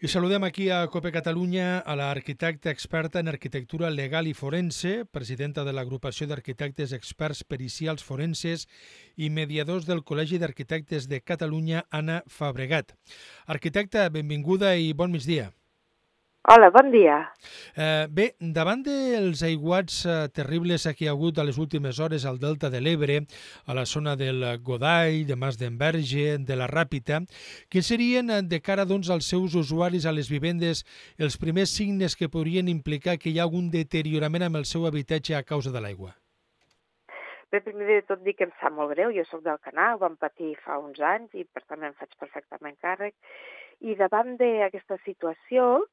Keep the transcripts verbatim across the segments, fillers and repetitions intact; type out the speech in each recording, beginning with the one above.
I saludem aquí a COPE Catalunya a l'arquitecta experta en arquitectura legal i forense, presidenta de l'Agrupació d'Arquitectes Experts Pericials Forenses i mediadors del Col·legi d'Arquitectes de Catalunya, Anna Fabregat. Arquitecta, benvinguda i bon migdia. Hola, bon dia. Eh, bé, davant dels aiguats eh, terribles que hi ha hagut a les últimes hores al Delta de l'Ebre, a la zona del Godall, de Mas d'Enverge, de la Ràpita, quins serien, eh, de cara doncs, als seus usuaris, a les vivendes, els primers signes que podrien implicar que hi ha algun deteriorament amb el seu habitatge a causa de l'aigua? Bé, primer de tot dir que em sap molt greu, jo sóc del Canal, ho vam patir fa uns anys i per tant em faig perfectament càrrec. I davant d'aquesta situació,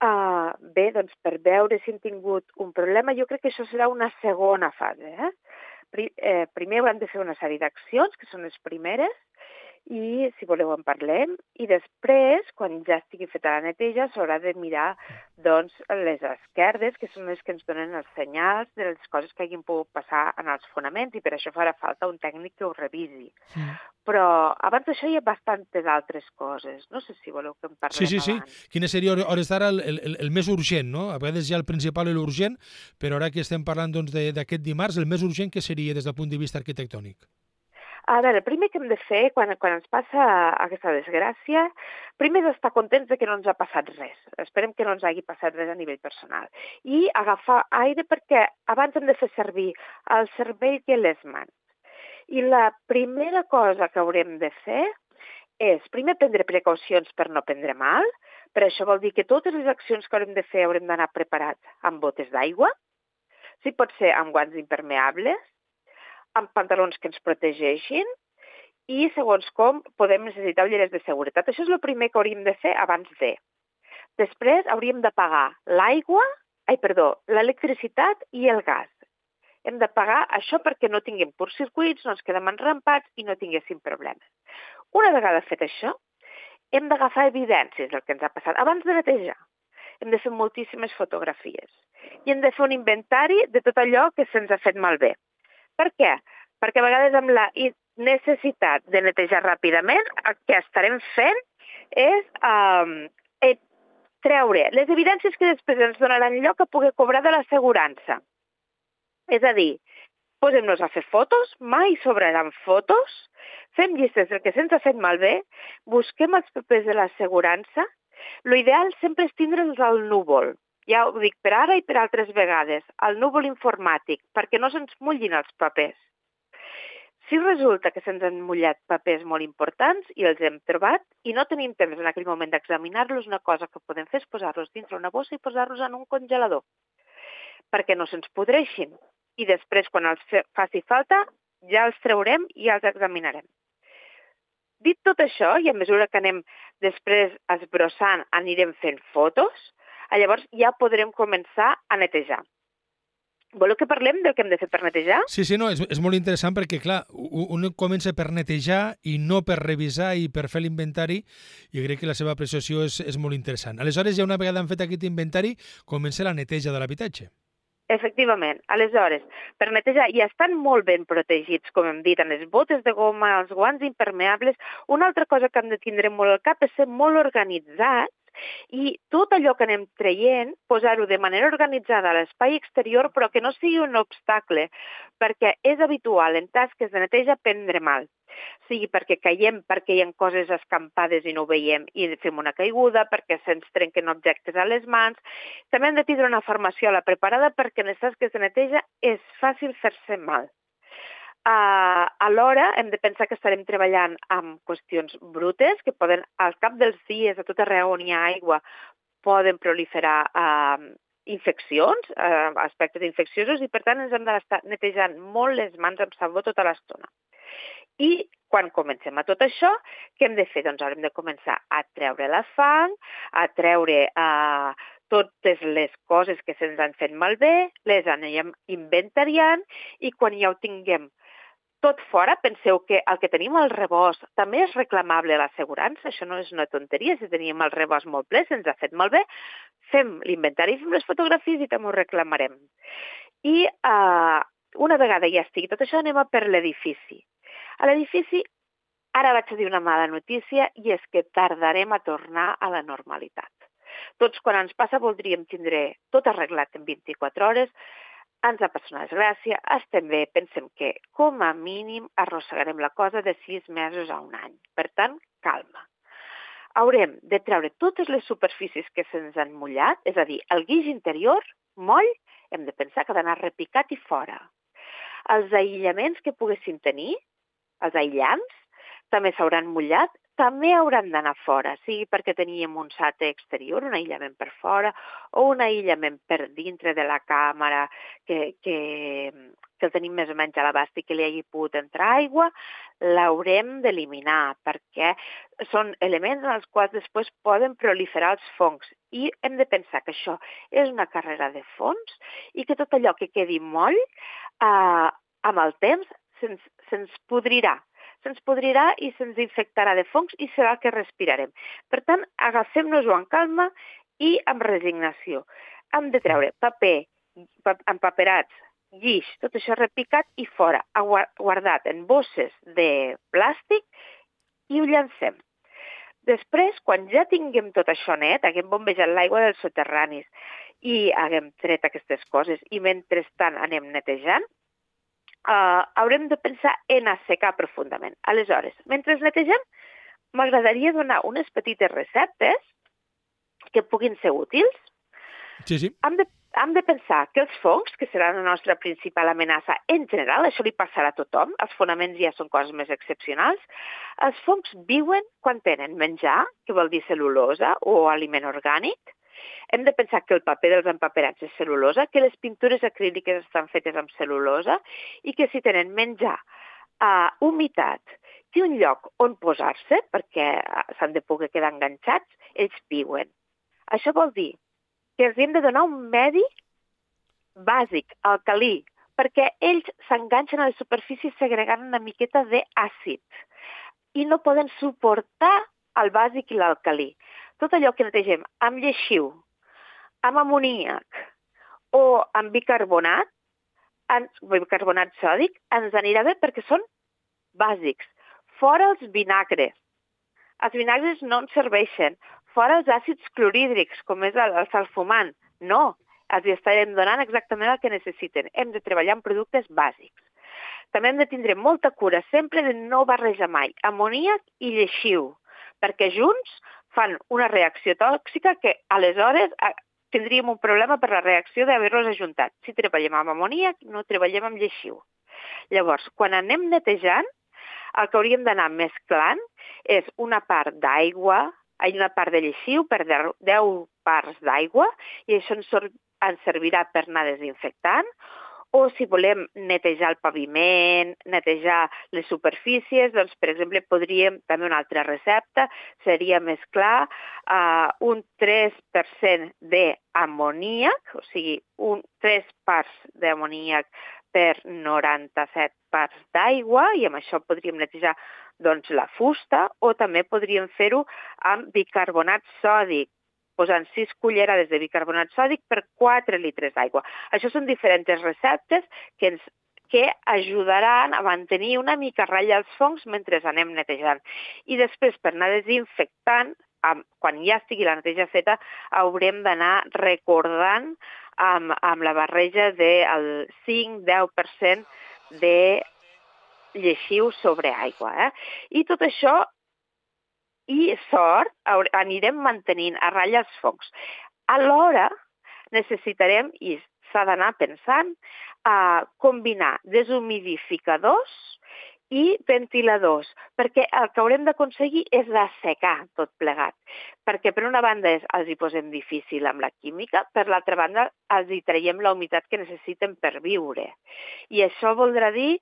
Uh, bé, doncs per veure si hem tingut un problema, jo crec que això serà una segona fase. Eh? Pri eh, primer haurem de fer una sèrie d'accions, que són les primeres, i si voleu en parlem, i després, quan ja estigui feta la neteja, s'haurà de mirar doncs, les esquerdes, que són les que ens donen els senyals de les coses que hagin pogut passar en els fonaments, i per això farà falta un tècnic que ho revisi. Mm. Però abans d'això hi ha bastantes altres coses. No sé si voleu que en parlem sí, sí, sí. abans. Quines seria, hores d'ara, el, el, el més urgent, no? A vegades hi ha el principal i l'urgent, però ara que estem parlant doncs, d'aquest dimarts, el més urgent que seria des del punt de vista arquitectònic? A veure, el primer que hem de fer quan, quan ens passa aquesta desgràcia, primer és estar contents de que no ens ha passat res. Esperem que no ens hagi passat res a nivell personal. I agafar aire perquè abans hem de fer servir el cervell i les mans. I la primera cosa que haurem de fer és, primer, prendre precaucions per no prendre mal. Per això vol dir que totes les accions que haurem de fer haurem d'anar preparats amb botes d'aigua, si pot ser amb guants impermeables, amb pantalons que ens protegeixin i, segons com, podem necessitar ulleres de seguretat. Això és el primer que hauríem de fer abans de. Després hauríem de pagar l'aigua, ai, perdó, l'electricitat i el gas. Hem de pagar això perquè no tinguem curtcircuits, no ens quedem enrampats i no tinguéssim problemes. Una vegada fet això, hem d'agafar evidències del que ens ha passat abans de netejar. Hem de fer moltíssimes fotografies i hem de fer un inventari de tot allò que se'ns ha fet malbé. Per què? Perquè a vegades amb la necessitat de netejar ràpidament, el que estarem fent és eh, treure les evidències que després ens donaran lloc a poder cobrar de l'assegurança. És a dir, posem-nos a fer fotos, mai sobraran fotos, fem llistes del que se'ns ha fet malbé, busquem els papers de l'assegurança. L'ideal sempre és tindre'ls al núvol. Ja ho dic per ara i per altres vegades, al núvol informàtic, perquè no se'ns mullin els papers. Si resulta que se'ns han mullat papers molt importants i els hem trobat i no tenim temps en aquell moment d'examinar-los, una cosa que podem fer és posar-los dintre una bossa i posar-los en un congelador, perquè no se'ns podreixin. I després, quan els faci falta, ja els traurem i els examinarem. Dit tot això, i a mesura que anem després esbrossant, anirem fent fotos, llavors ja podrem començar a netejar. Voleu que parlem del que hem de fer per netejar? Sí, sí, no, és, és molt interessant perquè, clar, un comença per netejar i no per revisar i per fer l'inventari, i crec que la seva apreciació és, és molt interessant. Aleshores, ja una vegada han fet aquest inventari, comença la neteja de l'habitatge. Efectivament. Aleshores, per netejar, i estan molt ben protegits, com hem dit, amb les botes de goma, els guants impermeables. Una altra cosa que hem de tindre molt al cap és ser molt organitzats i tot allò que anem traient, posar-ho de manera organitzada a l'espai exterior, però que no sigui un obstacle, perquè és habitual en tasques de neteja prendre mal. Sigui perquè caiem, perquè hi ha coses escampades i no ho veiem i fem una caiguda, perquè se'ns trenquen objectes a les mans. També hem de tindre una formació a la preparada perquè en les tasques de neteja és fàcil fer-se mal. Uh, alhora hem de pensar que estarem treballant amb qüestions brutes que poden, al cap dels dies, a tot arreu on hi ha aigua, poden proliferar uh, infeccions, uh, aspectes infecciosos, i per tant ens hem d'estar netejant molt les mans amb sabó tota l'estona. I quan comencem a tot això, què hem de fer? Doncs haurem de començar a treure la fang, a treure uh, totes les coses que se'ns han fet malbé, les anem inventariant, i quan ja ho tinguem tot fora, penseu que el que tenim al rebost també és reclamable a l'assegurança, això no és una tonteria, si tenim el rebost molt ple, se'ns ha fet malbé, fem l'inventari, fem les fotografies i també ho reclamarem. I uh, una vegada ja estigui tot això, anem a per l'edifici. A l'edifici Ara vaig a dir una mala notícia i és que tardarem a tornar a la normalitat. Tots, quan ens passa, voldríem tindre tot arreglat en vint-i-quatre hores, ens ha passat una desgràcia, estem bé, pensem que com a mínim arrossegarem la cosa de sis mesos a un any. Per tant, calma. Haurem de treure totes les superfícies que se'ns han mullat, és a dir, el guix interior, moll, hem de pensar que ha d'anar repicat i fora. Els aïllaments que poguessin tenir, els aïllants, també s'hauran mullat, també hauran d'anar fora, sigui perquè teníem un sàter exterior, un aïllament per fora, o un aïllament per dintre de la càmera que, que, que el tenim més o menys a l'abast i que li hagi pogut entrar aigua, l'haurem d'eliminar, perquè són elements en els quals després poden proliferar els fongs. I hem de pensar que això és una carrera de fons i que tot allò que quedi moll, eh, amb el temps, se'ns, se'ns podrirà. se'ns podrirà i se'ns infectarà de fongs i serà el que respirarem. Per tant, agafem-nos-ho amb calma i amb resignació. Hem de treure paper, empaperats, guix, tot això repicat i fora, guardat en bosses de plàstic i ho llancem. Després, quan ja tinguem tot això net, haguem bombejat l'aigua dels soterranis i haguem tret aquestes coses i mentrestant anem netejant, Uh, haurem de pensar en assecar profundament. Aleshores, mentre netegem, m'agradaria donar unes petites receptes que puguin ser útils. Sí, sí. Hem de, hem de pensar que els fongs, que seran la nostra principal amenaça en general, això li passarà a tothom, els fonaments ja són coses més excepcionals, els fongs viuen quan tenen menjar, que vol dir cel·lulosa o aliment orgànic. Hem de pensar que el paper dels empaperats és cel·lulosa, que les pintures acríliques estan fetes amb cel·lulosa i que si tenen menjar, uh, humitat i un lloc on posar-se, perquè s'han de poder quedar enganxats, ells viuen. Això vol dir que els hem de donar un medi bàsic, alcalí, perquè ells s'enganxen a les superfícies segregant una miqueta d'àcid i no poden suportar el bàsic i l'alcalí. Tot allò que netegem amb lleixiu, amb amoníac o amb bicarbonat, bicarbonat sòdic, ens anirà bé perquè són bàsics. Fora els vinagres. Els vinagres no ens serveixen. Fora els àcids clorhídrics, com és el, el salfumant. No, els estarem donant exactament el que necessiten. Hem de treballar amb productes bàsics. També hem de tindre molta cura sempre de no barrejar mai amoníac i lleixiu, perquè junts fan una reacció tòxica que aleshores tindríem un problema per la reacció d'haver-los ajuntat. Si treballem amb amoníac, no treballem amb lleixiu. Llavors, quan anem netejant, el que hauríem d'anar mesclant és una part d'aigua, una part de lleixiu per deu parts d'aigua, i això ens servirà per anar desinfectant, o si volem netejar el paviment, netejar les superfícies, doncs, per exemple, podríem, també una altra recepta, seria mesclar uh, un tres per cent d'amoníac, o sigui, un, tres parts d'amoníac per noranta-set parts d'aigua, i amb això podríem netejar doncs, la fusta, o també podríem fer-ho amb bicarbonat sòdic, posant sis cullerades de bicarbonat sòdic per quatre litres d'aigua. Això són diferents receptes que, ens, que ajudaran a mantenir una mica ratlla els fongs mentre anem netejant. I després, per anar desinfectant, quan ja estigui la neteja feta, haurem d'anar recordant amb, amb la barreja del cinc a deu per cent de lleixiu sobre aigua. Eh? I tot això i sort anirem mantenint a ratlla els fongs. Alhora necessitarem, i s'ha d'anar pensant, a combinar deshumidificadors i ventiladors, perquè el que haurem d'aconseguir és assecar tot plegat, perquè per una banda és, els hi posem difícil amb la química, per l'altra banda els hi traiem la humitat que necessiten per viure. I això voldrà dir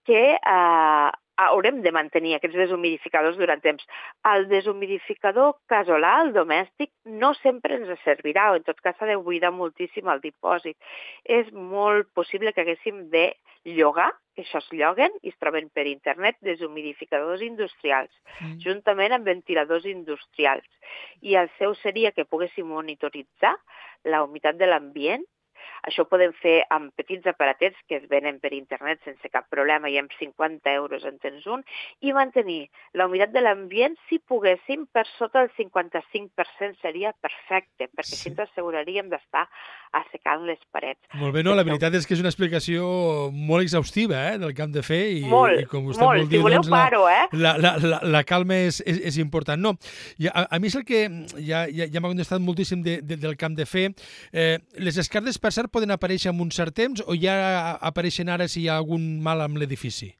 que eh, haurem de mantenir aquests deshumidificadors durant temps. El deshumidificador casolà, el domèstic, no sempre ens servirà, o en tot cas s'ha de buidar moltíssim el dipòsit. És molt possible que haguéssim de llogar, que això es lloguen i es troben per internet, deshumidificadors industrials, mm. juntament amb ventiladors industrials. I el seu seria que poguéssim monitoritzar la humitat de l'ambient, Això ho podem fer amb petits aparatets que es venen per internet sense cap problema i amb cinquanta euros en tens un, i mantenir la humitat de l'ambient, si poguéssim, per sota del cinquanta-cinc per cent seria perfecte, perquè sí. Així ens asseguraríem d'estar assecant les parets. Molt bé, no, la veritat és que és una explicació molt exhaustiva eh, del que hem de fer i, molt, i com vostè molt, vol dir, si voleu doncs, paro, eh? la, la, la, la calma és, és, és important. No, i a, a mi és el que ja, ja, ja m'ha contestat moltíssim de, de, del que hem de fer. Eh, les esquerdes, per cert, poden aparèixer en un cert temps o ja apareixen ara si hi ha algun mal amb l'edifici?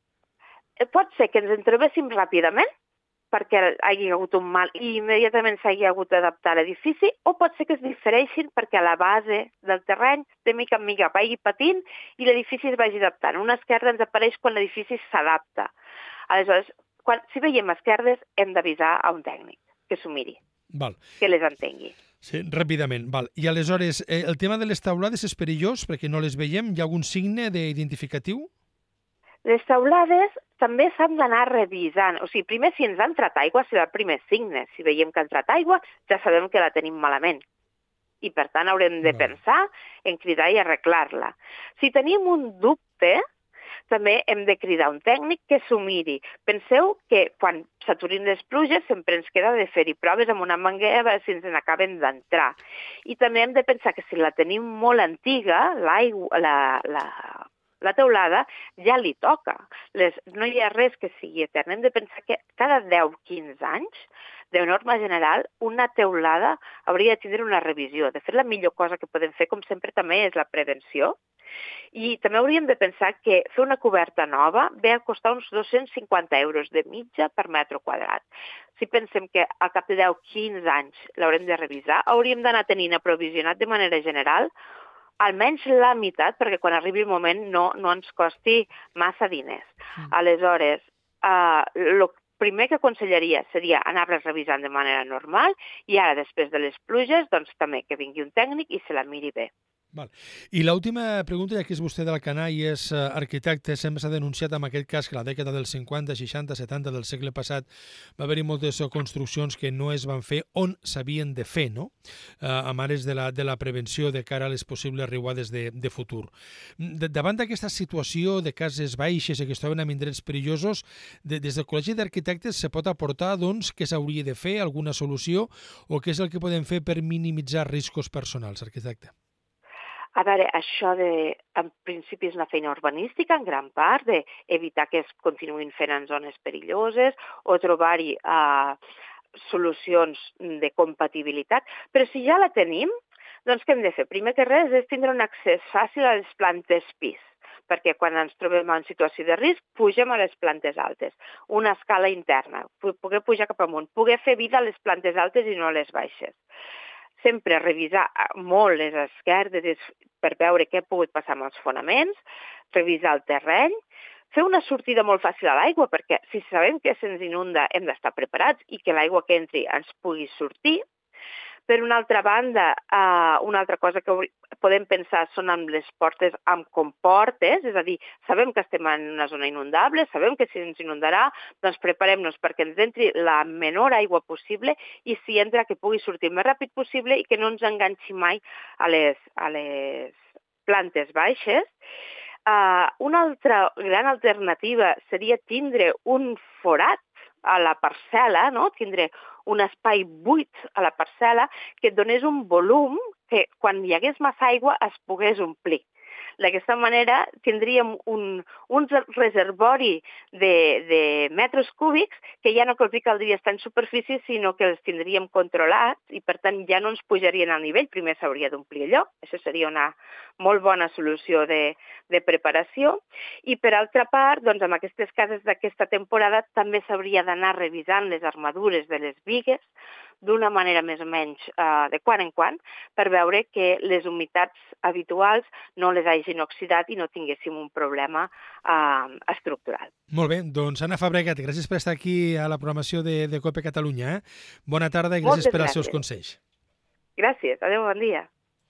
Pot ser que ens en trobéssim ràpidament perquè hi hagi hagut un mal i immediatament s'hagi hagut d'adaptar l'edifici, o pot ser que es difereixin perquè a la base del terreny, de mica en mica, vagi patint i l'edifici es vagi adaptant. Una esquerda ens apareix quan l'edifici s'adapta. Aleshores, quan, si veiem esquerdes, hem d'avisar a un tècnic que s'ho miri, Val. que les entengui. Sí, ràpidament. Val. I aleshores, eh, el tema de les teulades és perillós perquè no les veiem? Hi ha algun signe d'identificatiu? Les teulades també s'han d'anar revisant. O sigui, primer, si ens ha entrat aigua, serà el primer signe. Si veiem que ha entrat aigua, ja sabem que la tenim malament. I, per tant, haurem de pensar en cridar i arreglar-la. Si tenim un dubte, també hem de cridar un tècnic que s'ho miri. Penseu que quan s'aturin les pluges sempre ens queda de fer-hi proves amb una manguera si ens n'acaben d'entrar. I també hem de pensar que si la tenim molt antiga, l'aigua, la, la, la teulada ja li toca. Les, no hi ha res que sigui etern. Hem de pensar que cada deu a quinze anys, de norma general, una teulada hauria de tindre una revisió. De fet, la millor cosa que podem fer, com sempre, també és la prevenció. I també hauríem de pensar que fer una coberta nova ve a costar uns dos-cents cinquanta euros de mitja per metre quadrat. Si pensem que al cap de deu a quinze anys l'haurem de revisar, hauríem d'anar tenint aprovisionat de manera general almenys la meitat, perquè quan arribi el moment no, no ens costi massa diners. Mm. Aleshores, el uh, primer que aconsellaria seria anar-les revisant de manera normal i ara, després de les pluges, doncs també que vingui un tècnic i se la miri bé. Val. I l'última pregunta, ja que és vostè d'Alcanar i és uh, arquitecte, sempre s'ha denunciat en aquest cas que la dècada dels cinquanta, seixanta, setanta del segle passat va haver-hi moltes construccions que no es van fer on s'havien de fer, no? Uh, a mares de la, de la prevenció de cara a les possibles riuades de, de futur. De, davant d'aquesta situació de cases baixes i que es troben en indrets perillosos, de, des del Col·legi d'Arquitectes se pot aportar doncs, què s'hauria de fer, alguna solució, o què és el que podem fer per minimitzar riscos personals, arquitecte? A veure, això de, en principi és una feina urbanística, en gran part, d'evitar que es continuïn fent en zones perilloses o trobar-hi uh, solucions de compatibilitat. Però si ja la tenim, doncs què hem de fer? Primer que res és tindre un accés fàcil a les plantes pis, perquè quan ens trobem en situació de risc, pugem a les plantes altes. Una escala interna, poder pujar cap amunt, poder fer vida a les plantes altes i no a les baixes. Sempre revisar molt les esquerdes per veure què ha pogut passar amb els fonaments, revisar el terreny, fer una sortida molt fàcil a l'aigua, perquè si sabem que se'ns inunda hem d'estar preparats i que l'aigua que entri ens pugui sortir. Per una altra banda, uh, una altra cosa que podem pensar són amb les portes amb comportes, és a dir, sabem que estem en una zona inundable, sabem que si ens inundarà, doncs preparem-nos perquè ens entri la menor aigua possible i si entra que pugui sortir el més ràpid possible i que no ens enganxi mai a les, a les plantes baixes. Uh, una altra gran alternativa seria tindre un forat a la parcel·la, no? Tindre un espai buit a la parcel·la que et donés un volum que quan hi hagués massa aigua es pogués omplir. D'aquesta manera tindríem un, un reservori de, de metres cúbics que ja no caldria estar en superfície, sinó que els tindríem controlats i, per tant, ja no ens pujarien al nivell. Primer s'hauria d'omplir allò. Això seria una molt bona solució de, de preparació. I, per altra part, doncs, amb aquestes cases d'aquesta temporada també s'hauria d'anar revisant les armadures de les bigues d'una manera més o menys uh, de quan en quan, per veure que les humitats habituals no les hagin oxidat i no tinguéssim un problema uh, estructural. Molt bé, doncs Anna Fabregat, gràcies per estar aquí a la programació de, de COPE Catalunya. Eh? Bona tarda i gràcies Moltes per als gràcies. seus consells. Gràcies, adéu, bon dia.